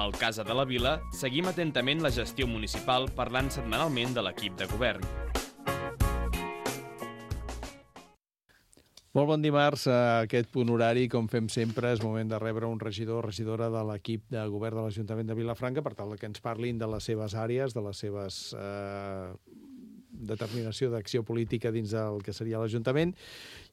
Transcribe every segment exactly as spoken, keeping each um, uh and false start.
Al Casa de la Vila seguim atentament la gestió municipal parlant setmanalment de l'equip de govern. Molt bon dimarts. A aquest punt horari, com fem sempre, és moment de rebre un regidor o regidora de l'equip de govern de l'Ajuntament de Vilafranca per tal que ens parlin de les seves àrees, de les seves eh, determinació d'acció política dins del que seria l'Ajuntament.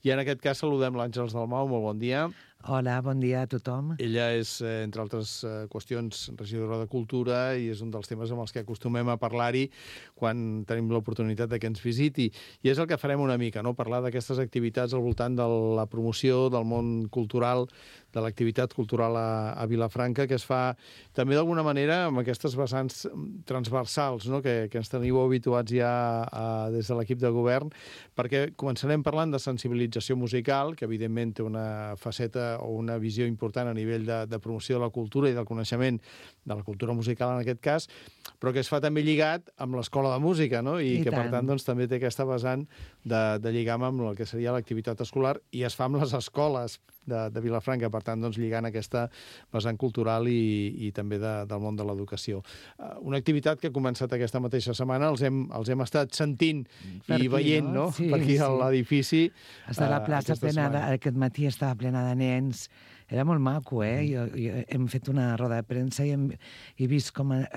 I en aquest cas saludem l'Àngels Dalmau. Molt bon dia. Hola, bon dia a tothom. Ella és, entre altres qüestions, regidora de Cultura i és un dels temes amb els que acostumem a parlar-hi quan tenim l'oportunitat de que ens visiti. I és el que farem una mica, no? Parlar d'aquestes activitats al voltant de la promoció del món cultural, de l'activitat cultural a, a Vilafranca, que es fa també d'alguna manera amb aquestes vessants transversals, no? que, que ens teniu habituats ja a, des de l'equip de govern, perquè començarem parlant de sensibilització musical, que evidentment té una faceta o una visió important a nivell de, de promoció de la cultura i del coneixement de la cultura musical en aquest cas, però que es fa també lligat amb l'escola de música, no? I, I que tant. Per tant doncs, també té aquesta vessant de, de lligam amb el que seria l'activitat escolar i es fa amb les escoles de, de Vilafranca, per tant doncs, lligant aquesta vessant cultural i, i també de, del món de l'educació. Uh, una activitat que ha començat aquesta mateixa setmana, els hem, els hem estat sentint per i aquí, veient, no? no? Sí, per aquí sí. a l'edifici. Està la plaça uh, plena, de, aquest matí estava plena de nens. Era molt maco, eh? Jo, jo, hem fet una roda de premsa i hem he vist com eh,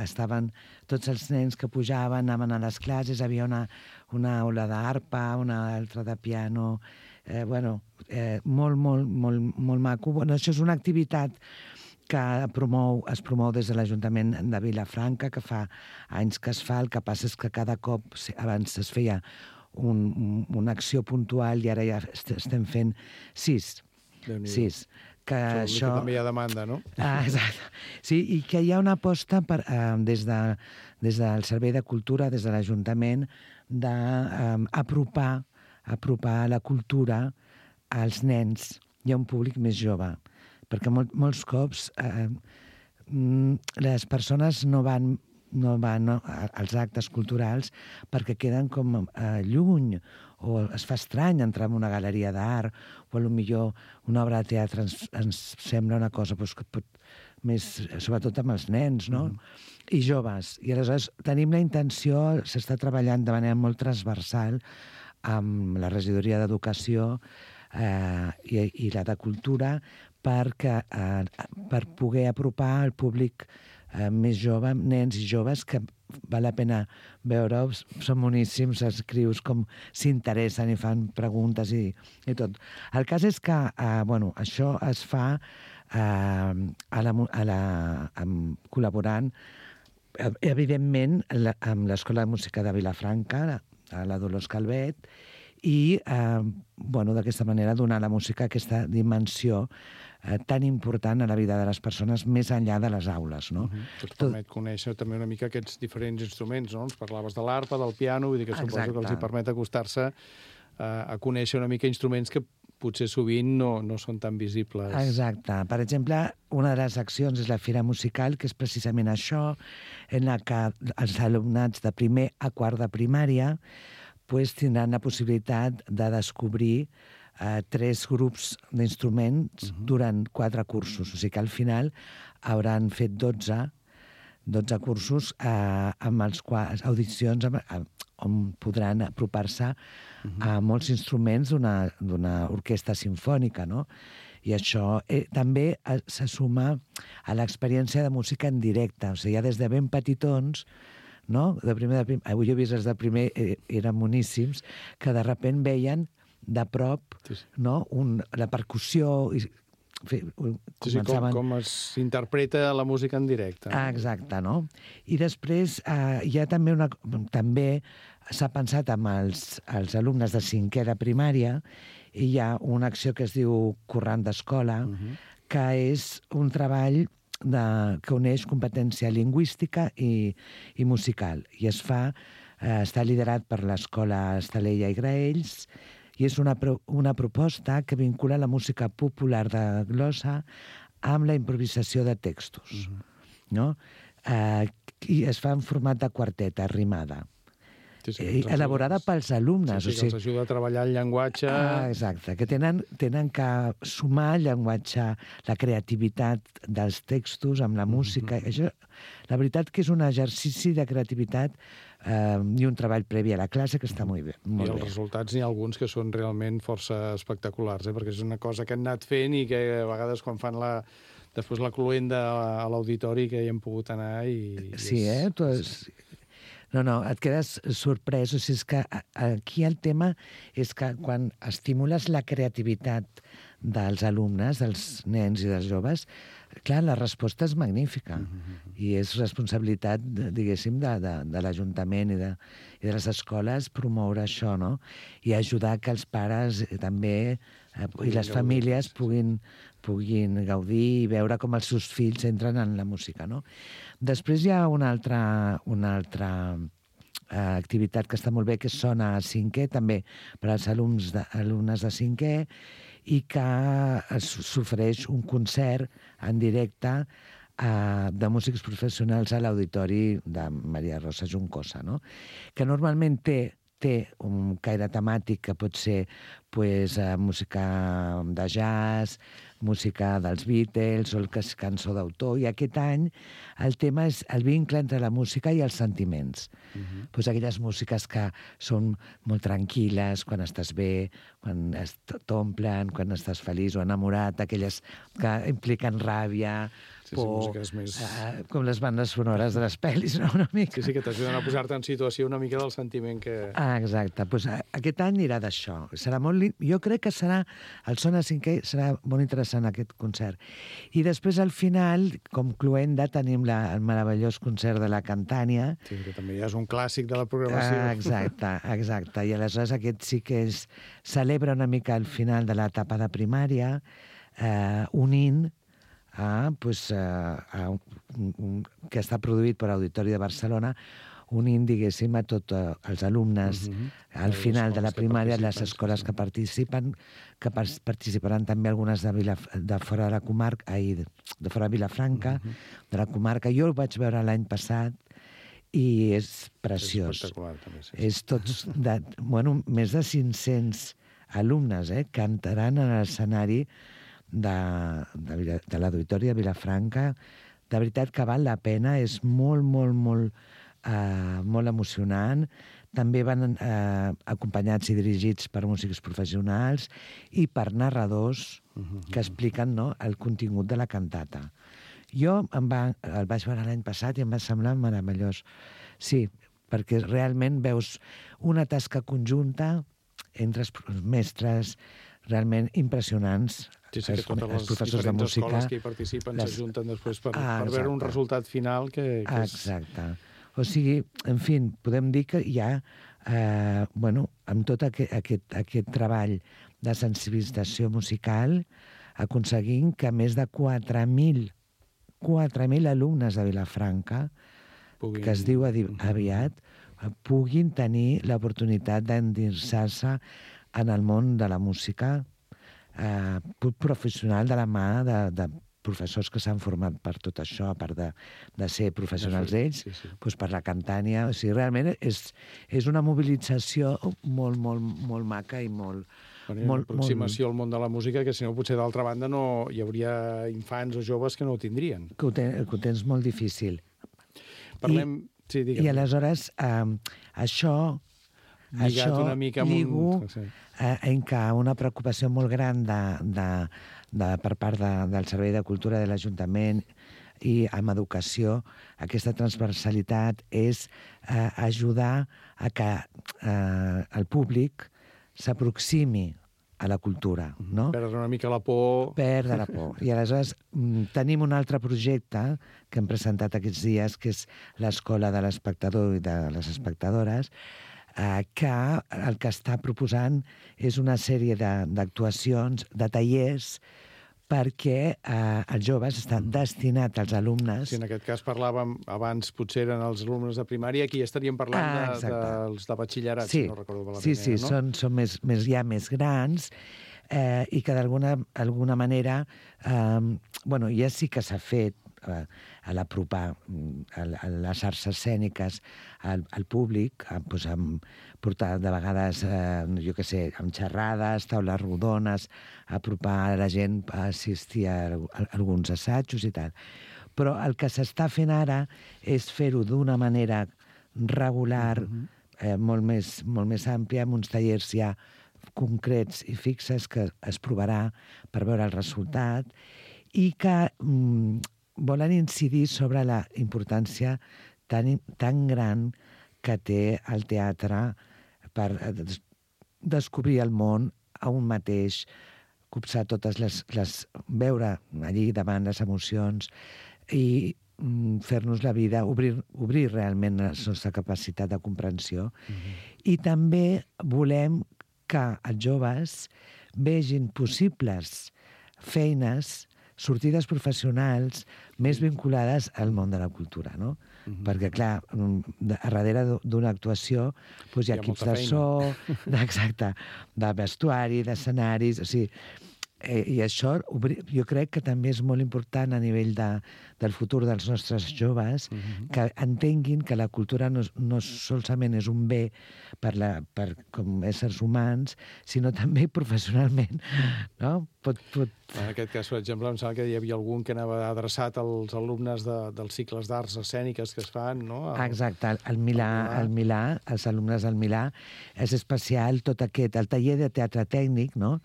estaven tots els nens que pujaven, anaven a les classes, havia una, una aula d'arpa, una altra de piano, eh, bueno, eh, molt, molt, molt, molt maco. Bueno, això és una activitat que promou, es promou des de l'Ajuntament de Vilafranca, que fa anys que es fa, el que passa és que cada cop, abans es feia un, una acció puntual i ara ja estem fent sis. Sis. Que això, això... que també hi ha demanda, no? Ah, exacte. Sí, i que hi ha una aposta per, eh, des, de, des del Servei de Cultura, des de l'Ajuntament, d'apropar eh, apropar la cultura als nens i a un públic més jove. Perquè molt, molts cops eh, les persones no van, no van no, als actes culturals perquè queden com eh, lluny, o es fa estrany entrar en una galeria d'art, o potser una obra de teatre ens, ens sembla una cosa doncs, que pot, més, sobretot amb els nens, no? Mm. I joves. I aleshores tenim la intenció, s'està treballant de manera molt transversal amb la regidoria d'Educació eh, i, i la de Cultura perquè, eh, per poder apropar al públic eh, més jove, nens i joves, que val la pena veure-ho, són boníssims, escrius com s'interessen i fan preguntes i, i tot. El cas és que, eh, bueno, això es fa eh, a la, a la, amb, col·laborant, eh, evidentment, la, amb l'Escola de Música de Vilafranca, a la Dolors Calvet, i eh, bueno, d'aquesta manera donar a la música aquesta dimensió eh, tan important a la vida de les persones més enllà de les aules, no? Uh-huh. Que et permet conèixer també una mica aquests diferents instruments, no? Ens parlaves de l'arpa, del piano, vull dir que suposo que els hi permet acostar-se eh, a conèixer una mica instruments que potser sovint no, no són tan visibles. Exacte. Per exemple, una de les accions és la Fira Musical, que és precisament això, en la que els alumnats de primer a quart de primària pues, tindran la possibilitat de descobrir eh, tres grups d'instruments uh-huh. durant quatre cursos. O sigui que al final hauran fet dotze, dotze cursos eh, amb els quals, audicions amb, amb, on podran apropar-se uh-huh. a molts instruments d'una orquestra simfònica, no? I això eh, també eh, se suma a l'experiència de música en directe. O sigui, ja des de ben petitons, no? De primer, de primer, avui he vist els de primer, eh, eren moníssims, que de sobte veien de prop sí, sí. No? Un, la percussió... I, fi, sí, sí, com, com s'interpreta la música en directe. Ah, exacte, no? I després eh, hi ha també una... També s'ha pensat amb els, els alumnes de cinquè de primària i hi ha una acció que es diu Corrent d'Escola, uh-huh. que és un treball de, que uneix competència lingüística i, i musical. I es fa, eh, està liderat per l'Escola Estalella i Graells, i és una, pro, una proposta que vincula la música popular de glossa amb la improvisació de textos. Uh-huh. No? Eh, I es fa en format de quarteta, rimada. Sí, sí, eh, elaborada pels alumnes. Sí, sí, que els ajuda a treballar el llenguatge. Ah, exacte, que tenen, tenen que sumar el llenguatge, la creativitat dels textos amb la música. Mm-hmm. Això, la veritat que és un exercici de creativitat eh, i un treball previ a la classe que està molt bé. Molt I els bé. resultats n'hi ha alguns que són realment força espectaculars, eh? Perquè és una cosa que han anat fent i que a vegades quan fan la... després la cluenda a l'auditori que hi hem pogut anar i... Sí, és... eh? Tu és... No, no, et quedes sorprès. O sigui, és que aquí el tema és que quan estimules la creativitat dels alumnes, dels nens i dels joves, clar, la resposta és magnífica. Mm-hmm. I és responsabilitat, diguéssim, de, de, de l'Ajuntament i, de, i de les escoles promoure això, no? I ajudar que els pares també eh, i les famílies puguin, puguin gaudir i veure com els seus fills entren en la música, no? Després hi ha una altra, una altra eh, activitat que està molt bé, que sona a cinquè, també per als alumnes de, alumnes de cinquè, i que s'ofereix un concert en directe eh, de músics professionals a l'auditori de Maria Rosa Juncosa, no? Que normalment té té un caire temàtic que pot ser pues, eh, música de jazz, música dels Beatles o el que és cançó d'autor. I aquest any el tema és el vincle entre la música i els sentiments. Uh-huh. Pues aquelles músiques que són molt tranquil·les, quan estàs bé, quan t'omplen, quan estàs feliç o enamorat, aquelles que impliquen ràbia, sí, por, sí, més... eh, com les bandes sonores de les pel·lis, no? Una mica. Sí, sí, que t'ajuden a posar-te en situació una mica del sentiment que... Ah, exacte. Pues, aquest any anirà d'això. Serà molt... Jo crec que serà... El Sona cinquè serà molt interessant, aquest concert. I després, al final, com cluenda, tenim la, el meravellós concert de la Cantània. Sí, que també ja és un clàssic de la programació. Ah, exacte, exacte. I aleshores aquest sí que és... Celebra una mica el final de l'etapa de primària, eh, unint a, pues, a, a un, un, que està produït per Auditori de Barcelona, unint, diguéssim, a tots els alumnes uh-huh. al les final de la primària, les escoles que participen, que participaran també algunes de, Vila, de fora de la comarca, ai, de fora de Vilafranca, uh-huh. de la comarca. Jo ho vaig veure l'any passat i és preciós. És espectacular, també, sí. És tots, de, bueno, més de cinc-cents alumnes, eh, cantaran a l'escenari de, de, de l'Auditori de Vilafranca. De veritat que val la pena, és molt, molt, molt, eh, molt emocionant. També van eh, acompanyats i dirigits per músics professionals i per narradors uh-huh. que expliquen, no, el contingut de la cantata. Jo em va, el vaig veure l'any passat i em va semblar meravellós. Sí, perquè realment veus una tasca conjunta entre els mestres realment impressionants. Sí, sí, que totes les diferents de escoles que hi participen les... s'ajunten després per, ah, per veure un resultat final que... que és... Exacte. O sigui, en fi, podem dir que hi ha, eh, bueno, amb tot aquest, aquest, aquest treball de sensibilització musical, aconseguint que més de quatre mil alumnes de Vilafranca, puguin... que es diu aviat, puguin tenir l'oportunitat d'endinsar-se en el món de la música eh, professional de la mà de, de professors que s'han format per tot això, a part de, de ser professionals ells, sí, sí. Doncs per la Cantània. O sigui, realment és, és una mobilització molt, molt, molt maca i molt... Bueno, una molt, aproximació molt... al món de la música que, si no, potser d'altra banda no hi hauria infants o joves que no ho tindrien. Que ho, ten, que ho tens molt difícil. Parlem... I, sí, digue'm. I aleshores, eh, això... Lligat això una mica amb lligo un... sí. eh, en què una preocupació molt gran de, de, de, per part de, del Servei de Cultura de l'Ajuntament i amb educació, aquesta transversalitat és eh, ajudar a que eh, el públic s'aproximi a la cultura, no? Perdre una mica la por... Perdre la por. I aleshores tenim un altre projecte que hem presentat aquests dies, que és l'Escola de l'Espectador i de les Espectadores, eh, que el que està proposant és una sèrie d'actuacions, de, de tallers, perquè eh, els joves estan destinats als alumnes... Sí, en aquest cas parlàvem, abans potser eren els alumnes de primària, aquí estaríem parlant ah, de, dels de batxillerat, sí, si no recordo malament. Sí, sí, no? són, són més, més, ja més grans eh, i que d'alguna alguna manera... Eh, bueno, ja sí que s'ha fet a, a l'apropar a, a les arts escèniques al, al públic, a, doncs, amb, portar de vegades, eh, jo què sé, amb xerrades, taules rodones, apropar la gent a assistir a, a alguns assajos i tal. Però el que s'està fent ara és fer-ho d'una manera regular, uh-huh. eh, molt, més, molt més àmplia, amb uns tallers ja concrets i fixes que es provarà per veure el resultat i que mm, volen incidir sobre la importància tan, tan gran que té el teatre per des descobrir el món a un mateix, copsar totes les, les... veure allí davant les emocions i mm, fer-nos la vida, obrir, obrir realment la nostra capacitat de comprensió. Mm-hmm. I també volem que els joves vegin possibles feines, sortides professionals més vinculades al món de la cultura, no? Mm-hmm. Perquè, clar, a darrere d'una actuació doncs hi ha, hi ha equips de so, exacte, de vestuari, d'escenaris, o sigui, eh, i això jo crec que també és molt important a nivell de, del futur dels nostres joves, mm-hmm. que entenguin que la cultura no, no solament és un bé per, la, per com éssers humans, sinó també professionalment, no? Pot, pot... En aquest cas, per exemple, em sembla que hi havia algun que anava adreçat als alumnes de, dels cicles d'arts escèniques que es fan, no? El... Exacte, el Milà, el Milà, els alumnes del Milà, és especial tot aquest, el taller de teatre tècnic, no?,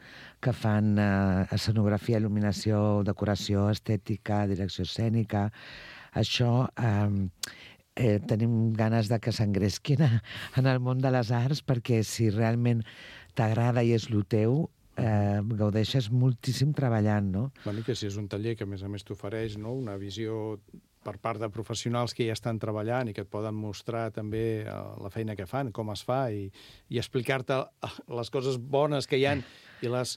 que fan eh, escenografia, il·luminació, decoració, estètica, direcció escènica. Això eh, eh, tenim ganes de que s'engresquin en el món de les arts, perquè si realment t'agrada i és el teu, eh, gaudeixes moltíssim treballant, no? Bueno, que si és un taller que a més a més t'ofereix, no?, una visió per part de professionals que ja estan treballant i que et poden mostrar també la feina que fan, com es fa, i, i explicar-te les coses bones que hi ha i les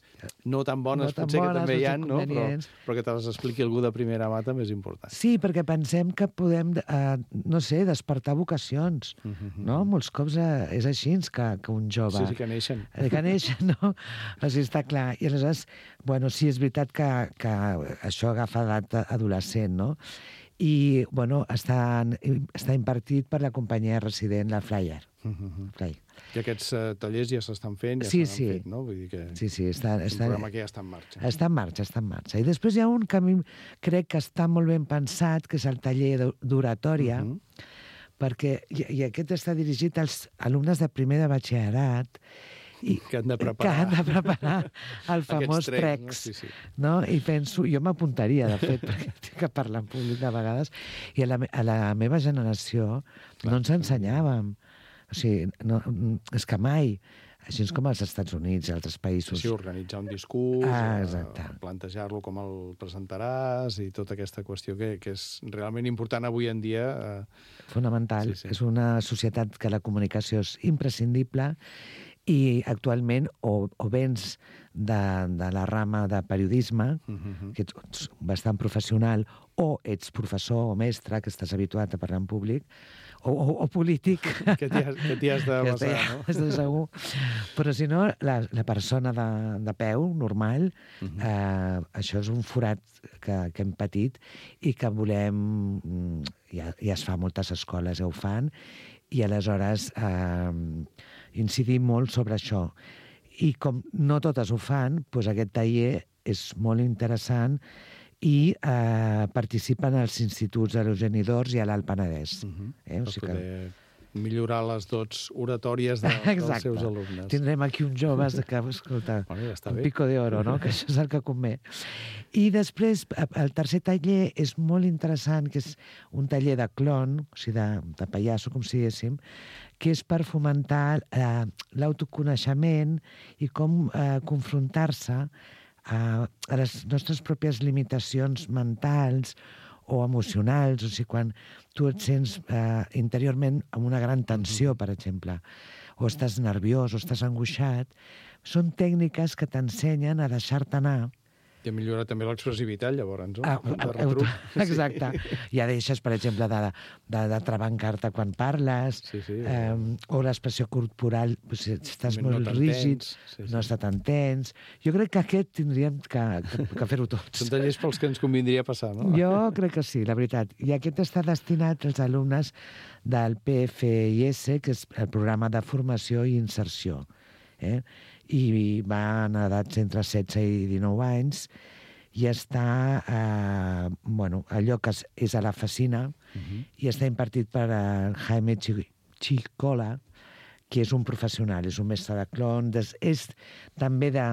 no tan bones, no tan potser bones, que també hi ha, no? Però, però que te les expliqui algú de primera mà també és important. Sí, perquè pensem que podem, eh, no sé, despertar vocacions, uh-huh. no? Molts cops eh, és així que, que un jove... Sí, sí, que neixen. Que neixen, no? O sigui, està clar. I aleshores, bueno, sí, és veritat que, que això agafa edat adolescent, no? I, bueno, està, està impartit per la companyia resident, la Flyer. Uh-huh. Flyer. I aquests uh, tallers ja s'estan fent, ja sí, s'han sí. fet, no? Vull dir que sí, sí, està, és està, un programa que ja està en marxa. Està en marxa, està en marxa. I després hi ha un que a mi crec que està molt ben pensat, que és el taller d'oratòria, uh-huh. perquè, i, i aquest està dirigit als alumnes de primer de batxillerat, i que han de preparar, que han de preparar el famós trecs, trecs, no? Sí, sí. No? I penso, jo m'apuntaria, de fet, perquè tinc que parlar en públic de vegades, i a la, a la meva generació Clar. no ens ensenyàvem. O sigui, no, és que mai, així com als Estats Units i altres països... Sí, organitzar un discurs, ah, eh, plantejar-lo com el presentaràs i tota aquesta qüestió que, que és realment important avui en dia. Eh... Fonamental. Sí, sí. És una societat que la comunicació és imprescindible i actualment o, o vens de, de la rama de periodisme, uh-huh. que ets bastant professional, o ets professor o mestre, que estàs habituat a parlar en públic, o, o, o polític. Que t'hi has, que has de basar, no? Estic segur. Però si no, la, la persona de, de peu, normal, uh-huh. eh, això és un forat que, que hem patit i que volem... Ja, ja es fa a moltes escoles, ja ho fan, i aleshores eh, incidir molt sobre això. I com no totes ho fan, doncs aquest taller és molt interessant i eh, participen als instituts de l'Eugeni d'Ors i a l'Alt Penedès. Uh-huh. eh? O sigui per poder que... millorar les dots oratòries de, dels seus alumnes. Tindrem aquí uns joves que, escolta, bueno, ja un bé. pico d'oro, no? Que això és el que convé. I després, el tercer taller és molt interessant, que és un taller de clon, o sigui, de, de pallasso, com si diguéssim, que és per fomentar eh, l'autoconeixement i com eh, confrontar-se a, a les nostres pròpies limitacions mentals o emocionals, o sigui, quan tu et sents eh, interiorment amb una gran tensió, per exemple, o estàs nerviós o estàs angoixat, són tècniques que t'ensenyen a deixar-te anar I millora també l'expressivitat, llavors, no? Ah, De retruc. exacte. Ja deixes, per exemple, de, de, de trebancar-te quan parles, Sí, sí. eh, o l'expressió corporal, pues, si estàs No molt tan rígid, tens, sí, sí. no està tan tens. Jo crec que aquest tindríem que, que, que fer-ho tots. Són tallers pels que ens convindria passar, no? Jo crec que sí, la veritat. I aquest està destinat als alumnes del P F I S, que és el programa de formació i inserció. Eh? I van a edats entre setze i dinou anys i està, eh, bueno, allò que és, és a la Facina, uh-huh. i està impartit per el Jaime Chicola, que és un professional, és un mestre de clon, des, és també de,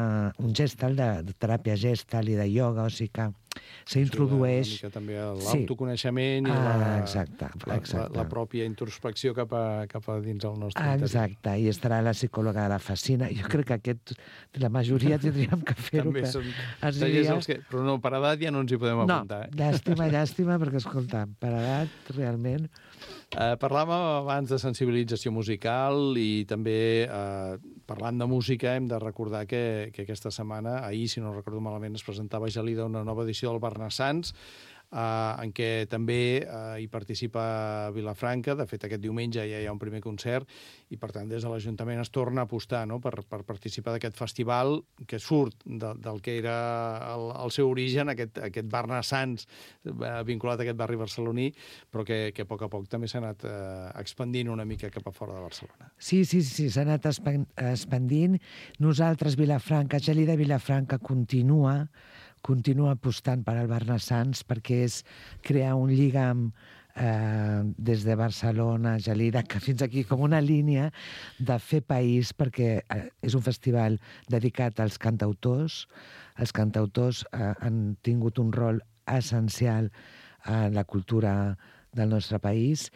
un gestal, de, de teràpia gestal i de ioga, o sigui que s'introdueix... Una mica també l'autoconeixement i ah, la, exacte, la, exacte. la, la pròpia introspecció cap a, cap a dins el nostre ah, interior. Exacte, i estarà la psicòloga de la Facina. Jo crec que aquest, la majoria tindríem que fer-ho. També que són ens tallers diria... els que... Però no, per edat ja no ens hi podem apuntar. No, llàstima, llàstima, perquè, escolta, per edat, realment... Eh, parlàvem abans de sensibilització musical i també eh, parlant de música hem de recordar que, que aquesta setmana, ahir, si no recordo malament, es presentava a Gelida una nova edició del Barnassans, Uh, en què també uh, hi participa Vilafranca. De fet, aquest diumenge ja hi ha un primer concert i, per tant, des de l'Ajuntament es torna a apostar, no?, per, per participar d'aquest festival que surt de, del que era el, el seu origen, aquest, aquest Barnassans uh, vinculat a aquest barri barceloní, però que, que a poc a poc també s'ha anat uh, expandint una mica cap a fora de Barcelona. Sí, sí, sí, s'ha anat expandint. Nosaltres, Vilafranca, Gelida Vilafranca continua continua apostant per al Barnassans perquè és crear un lligam eh, des de Barcelona, Gelida, que fins aquí com una línia de fer país, perquè eh, és un festival dedicat als cantautors. Els cantautors eh, han tingut un rol essencial en la cultura del nostre país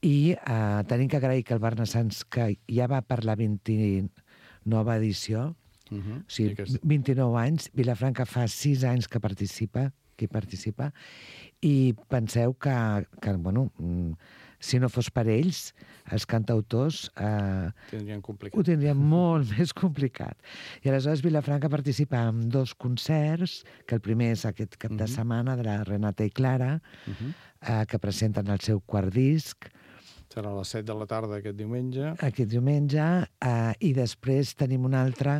i eh, tenim que agrair que el Barnassans, que ja va per la vint-i-nova edició, Uh-huh. o sigui, aquest... vint-i-nou anys, Vilafranca fa sis anys que participa, que participa, i penseu que, que bueno, si no fos per ells, els cantautors eh, tindrien complicat. ho tindrien molt més complicat. I aleshores Vilafranca participa en dos concerts, que el primer és aquest cap de setmana de la Renata i Clara, uh-huh. eh, que presenten el seu quart disc. Serà a les set de la tarda aquest diumenge. Aquest diumenge, eh, i després tenim una altra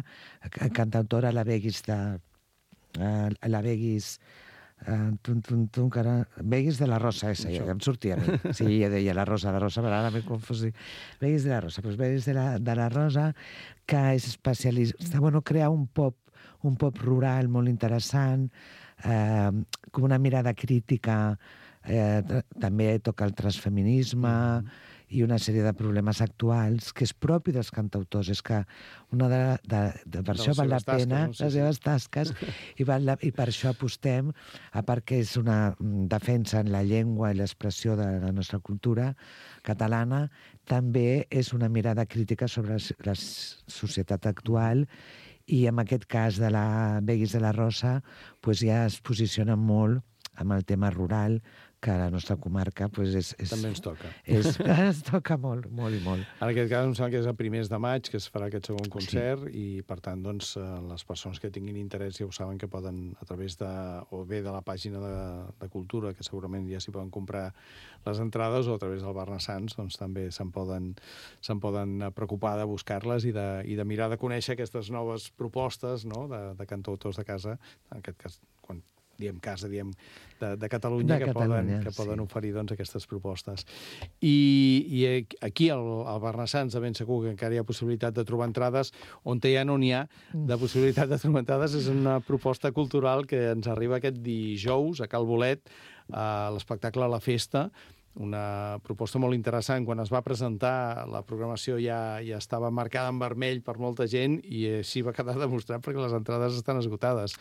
cantautora, la Beguis de... Eh, la Beguis... Eh, tum, tum, tum, cara, Beguis de la Rosa, esa, ja em sortia a mi. Sí, ja deia la Rosa, la Rosa, però ara m'he confós. Beguis de la Rosa, doncs Beguis de la, de la Rosa, que és especialista... Bueno, crea un pop, un pop rural molt interessant, eh, com una mirada crítica. Eh, també toca el transfeminisme mm. i una sèrie de problemes actuals que és propi dels cantautors. És que una de, de, de per de això val la pena, tasques, no? les seves tasques, i, val la, i per això apostem, a part que és una defensa en la llengua i l'expressió de la nostra cultura catalana, també és una mirada crítica sobre la societat actual. I en aquest cas de la Beguis de la Rosa pues ja es posiciona molt amb el tema rural, que a la nostra comarca pues, és, és, també ens toca. És, ens toca molt, molt i molt. En aquest cas em sembla que és a primers de maig que es farà aquest segon concert, sí. I per tant doncs, les persones que tinguin interès ja ho saben que poden a través de, o bé de la pàgina de, de Cultura, que segurament ja s'hi poden comprar les entrades, o a través del Barnassans doncs, també se'n poden, se'n poden preocupar de buscar-les i de, i de mirar de conèixer aquestes noves propostes, no?, de, de cantautors de casa, en aquest cas quan diem casa, diem de, de Catalunya, de que Catalunya, poden, que poden sí. oferir doncs, aquestes propostes. I, i aquí al, al Barnassans de ben segur que encara hi ha possibilitat de trobar entrades, on ja no n'hi ha de possibilitat de trobar entrades. És una proposta cultural que ens arriba aquest dijous a Cal Bolet, a l'espectacle La Festa, una proposta molt interessant. Quan es va presentar, la programació ja, ja estava marcada en vermell per molta gent i així va quedar demostrat perquè les entrades estan esgotades.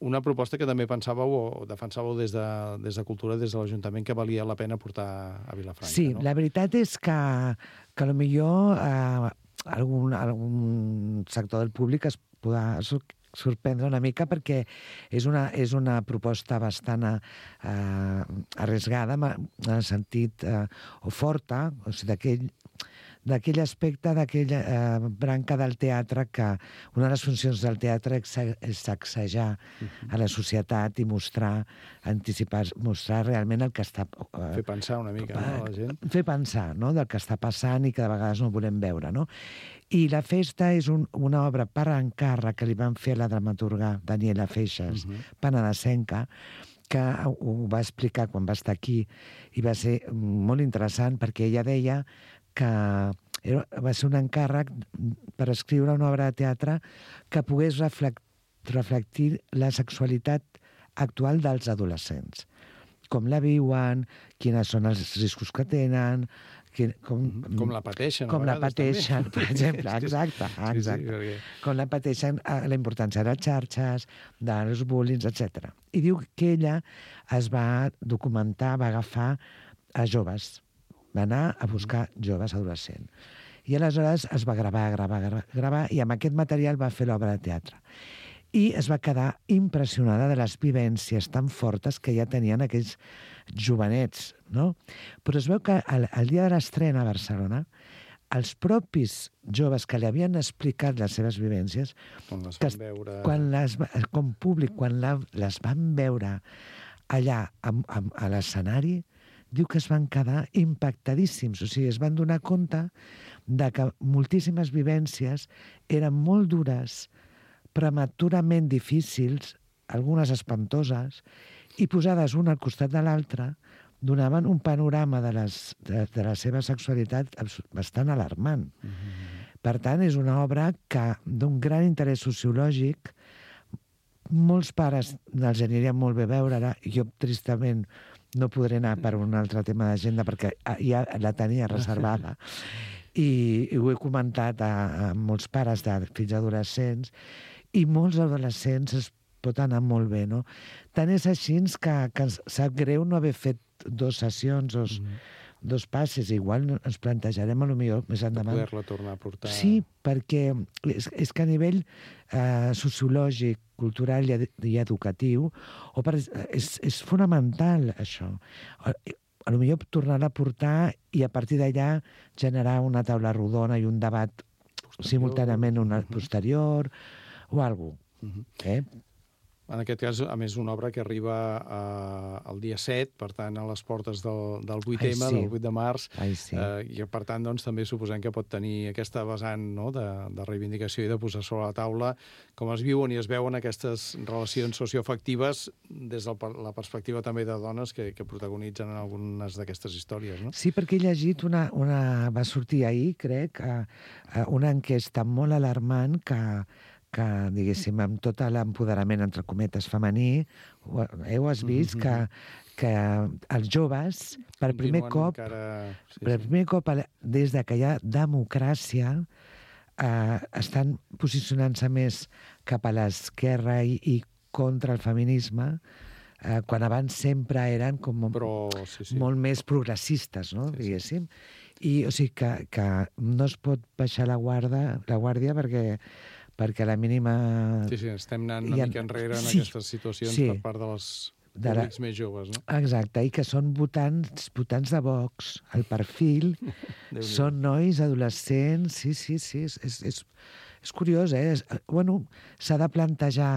Una proposta que també pensàveu o defensàveu des de, des de Cultura, des de l'Ajuntament, que valia la pena portar a Vilafranca. Sí, no? La veritat és que, que potser eh, algun, algun sector del públic es podrà sorprendre una mica perquè és una, és una proposta bastant eh, arriesgada, en el sentit, eh, o forta, o sigui, d'aquell d'aquell aspecte, d'aquella eh, branca del teatre, que una de les funcions del teatre és sacsejar uh-huh. a la societat i mostrar, anticipar, mostrar realment el que està... Eh, fer pensar una mica, no, la gent? Fer pensar, no?, del que està passant i que de vegades no volem veure, no? I La festa és un, una obra per encàrrec que li van fer a la dramaturga Daniela Feixas, uh-huh. penedesenca, que ho va explicar quan va estar aquí i va ser molt interessant perquè ella deia que era, va ser un encàrrec per escriure una obra de teatre que pogués reflect, reflectir la sexualitat actual dels adolescents. Com la viuen, quins són els riscos que tenen, que, com, com la pateixen. Com la pateixen, també. Per exemple, exacte. exacte. Sí, sí, perquè... Com la pateixen, la importància de les xarxes, dels bullings, etcètera. I diu que ella es va documentar, va agafar a joves, va anar a buscar joves adolescents. I aleshores es va gravar, gravar, gravar, i amb aquest material va fer l'obra de teatre. I es va quedar impressionada de les vivències tan fortes que ja tenien aquells jovenets, no? Però es veu que el, el dia de l'estrena a Barcelona, els propis joves que li havien explicat les seves vivències, quan les van veure... quan les, com públic, quan la, les van veure allà a, a, a l'escenari, diu que es van quedar impactadíssims. O sigui, es van donar compte de que moltíssimes vivències eren molt dures, prematurament difícils, algunes espantoses, i posades una al costat de l'altra, donaven un panorama de, les, de, de la seva sexualitat bastant alarmant. Mm-hmm. Per tant, és una obra que d'un gran interès sociològic, molts pares els anirien molt bé veure-la, jo tristament no podré anar per un altre tema d'agenda perquè ja la tenia reservada. I, i ho he comentat a, a molts pares de fills adolescents, i molts adolescents es pot anar molt bé, no? Tant és així que, que sap greu no haver fet dos sessions o mm. dos passes. Igual ens plantejarem a lo millor més endavant. De poder-la tornar a portar. Sí, perquè és, és que a nivell eh, sociològic, cultural i, i educatiu, o per, és, és fonamental això. A, a lo millor tornar-la a portar i a partir d'allà generar una taula rodona i un debat posterior, simultàniament una uh-huh. posterior o alguna cosa. Uh-huh. Eh? En aquest cas, a més, una obra que arriba eh, el dia set, per tant, a les portes del, del vuit eme, Ai, sí. del vuit de març, Ai, sí. eh, i per tant, doncs, també suposem que pot tenir aquesta vessant, no?, de, de reivindicació i de posar sobre la taula com es viuen i es veuen aquestes relacions socioafectives des de la perspectiva també de dones que, que protagonitzen en algunes d'aquestes històries, no? Sí, perquè he llegit una... una va sortir ahir, crec, a, a una enquesta molt alarmant que que, diguéssim, amb tot l'empoderament, entre cometes, femení, heu has vist mm-hmm. que, que els joves, per Continuen primer cop, encara... sí, per sí. primer cop, des de que hi ha democràcia, eh, estan posicionant-se més cap a l'esquerra i, i contra el feminisme, eh, quan abans sempre eren com Però, sí, sí. molt més progressistes, no? Sí, diguéssim. I, o sigui, que, que no es pot baixar la guarda, la guàrdia perquè perquè la mínima... Sí, sí, estem anant una ha... mica enrere en sí, aquestes situacions sí. per part de les de públics la... més joves, no? Exacte, i que són votants, votants de Vox. El perfil són nois, adolescents... Sí, sí, sí, és, és, és, és curiós, eh? És, bueno, s'ha de plantejar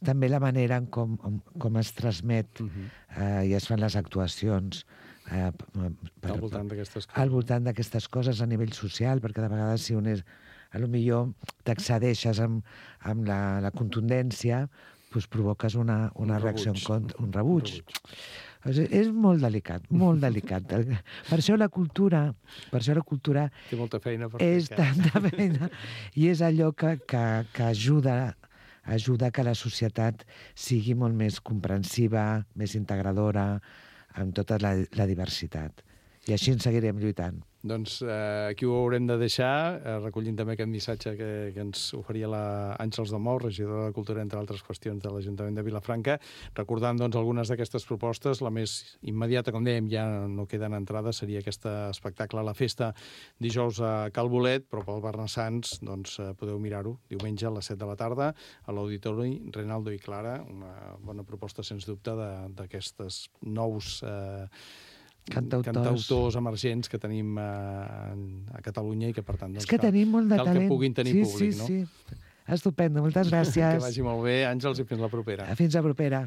també la manera en com, com es transmet uh-huh. eh, i es fan les actuacions eh, per, al voltant d'aquestes coses. Al voltant d'aquestes coses a nivell social, perquè de vegades si un és... a lo millor t'excedeixes amb, amb la, la contundència, doncs provoques una, una un reacció en contra, un rebuig. Un rebuig. O sigui, és molt delicat, molt delicat. Per això la cultura, per això la cultura té molta feina per és fer, tanta feina, i és allò que, que, que ajuda, ajuda que la societat sigui molt més comprensiva, més integradora, amb tota la, la diversitat. I així en seguirem lluitant. Doncs eh, aquí ho haurem de deixar, eh, recollint també aquest missatge que, que ens oferia la Àngels de Mou, regidora de Cultura, entre altres qüestions de l'Ajuntament de Vilafranca, recordant doncs, algunes d'aquestes propostes. La més immediata, com dèiem, ja no queden entrades, seria aquest espectacle a la festa dijous a Cal Bolet, però pel Barnassans doncs, eh, podeu mirar-ho diumenge a les set de la tarda a l'Auditori Reinaldo i Clara, una bona proposta, sens dubte, d'aquestes nous... Eh, Cantautors. cantautors emergents que tenim a, a Catalunya i que, per tant, doncs, És que tenim molt de cal talent. que puguin tenir sí, públic, sí, no? Sí, sí. Estupendo, moltes gràcies. Que vagi molt bé, Àngels, i fins la propera. Fins la propera.